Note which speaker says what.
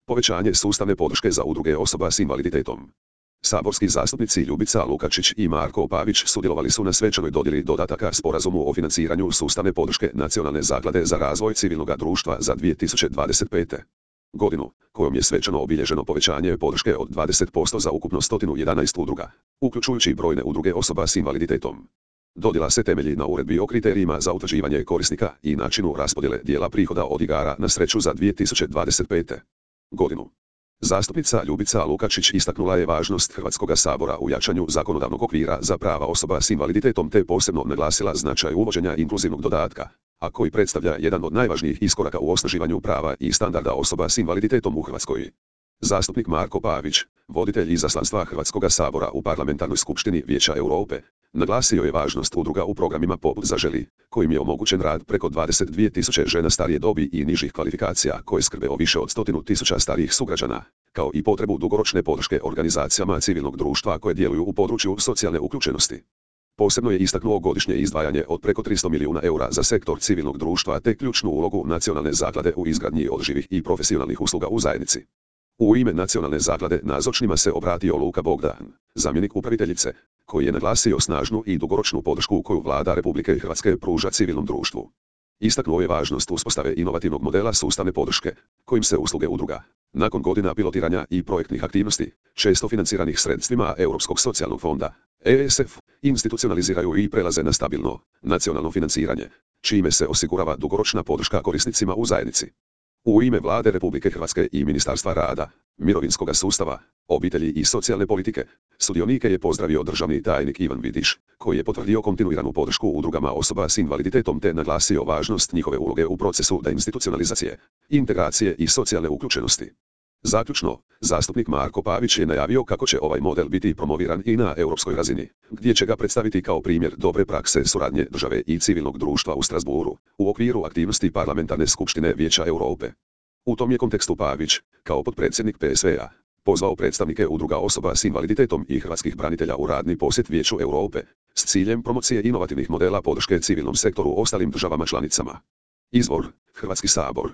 Speaker 1: Povećanje sustavne podrške za udruge osoba s invaliditetom. Saborski zastupnici Ljubica Lukačić i Marko Pavić sudjelovali su na svečanoj dodjeli dodataka Sporazumu o financiranju sustavne podrške Nacionalne zaklade za razvoj civilnog društva za 2025. godinu, kojom je svečano obilježeno povećanje podrške od 20% za ukupno 111 udruga, uključujući brojne udruge osoba s invaliditetom. Dodjela se temelji na uredbi o kriterijima za utvrđivanje korisnika i načinu raspodjele dijela prihoda od igara na sreću za 2025. godinu. Zastupnica Ljubica Lukačić istaknula je važnost Hrvatskoga sabora u jačanju zakonodavnog okvira za prava osoba s invaliditetom te posebno naglasila značaj uvođenja inkluzivnog dodatka, a koji predstavlja jedan od najvažnijih iskoraka u osnaživanju prava i standarda osoba s invaliditetom u Hrvatskoj. Zastupnik Marko Pavić, voditelj izaslanstva Hrvatskoga sabora u Parlamentarnoj skupštini Vijeća Europe, naglasio je važnost udruga u programima poput Zaželi, kojim je omogućen rad preko 22.000 žena starije dobi i nižih kvalifikacija koje skrbe o više od 100.000 starijih sugrađana, kao i potrebu dugoročne podrške organizacijama civilnog društva koje djeluju u području socijalne uključenosti. Posebno je istaknuo godišnje izdvajanje od preko 300 milijuna eura za sektor civilnog društva te ključnu ulogu Nacionalne zaklade u izgradnji održivih i profesionalnih usluga u zajednici. U ime Nacionalne zaklade nazočnima se obratio Luka Bogdan, zamjenik upraviteljice, koji je naglasio snažnu i dugoročnu podršku koju Vlada Republike Hrvatske pruža civilnom društvu. Istaknuo je važnost uspostave inovativnog modela sustavne podrške, kojim se usluge udruga, nakon godina pilotiranja i projektnih aktivnosti, često financiranih sredstvima Europskog socijalnog fonda, ESF, institucionaliziraju i prelaze na stabilno, nacionalno financiranje, čime se osigurava dugoročna podrška korisnicima u zajednici. U ime Vlade Republike Hrvatske i Ministarstva rada, mirovinskoga sustava, obitelji i socijalne politike, sudionike je pozdravio državni tajnik Ivan Vidiš, koji je potvrdio kontinuiranu podršku udrugama osoba s invaliditetom te naglasio važnost njihove uloge u procesu deinstitucionalizacije, integracije i socijalne uključenosti. Zaključno, zastupnik Marko Pavić je najavio kako će ovaj model biti promoviran i na europskoj razini, gdje će ga predstaviti kao primjer dobre prakse suradnje države i civilnog društva u Strasbourgu, u okviru aktivnosti Parlamentarne skupštine Vijeća Europe. U tom je kontekstu Pavić, kao potpredsjednik PSV-a, pozvao predstavnike udruga osoba s invaliditetom i hrvatskih branitelja u radni posjet Vijeću Europe, s ciljem promocije inovativnih modela podrške civilnom sektoru ostalim državama članicama. Izvor: Hrvatski sabor.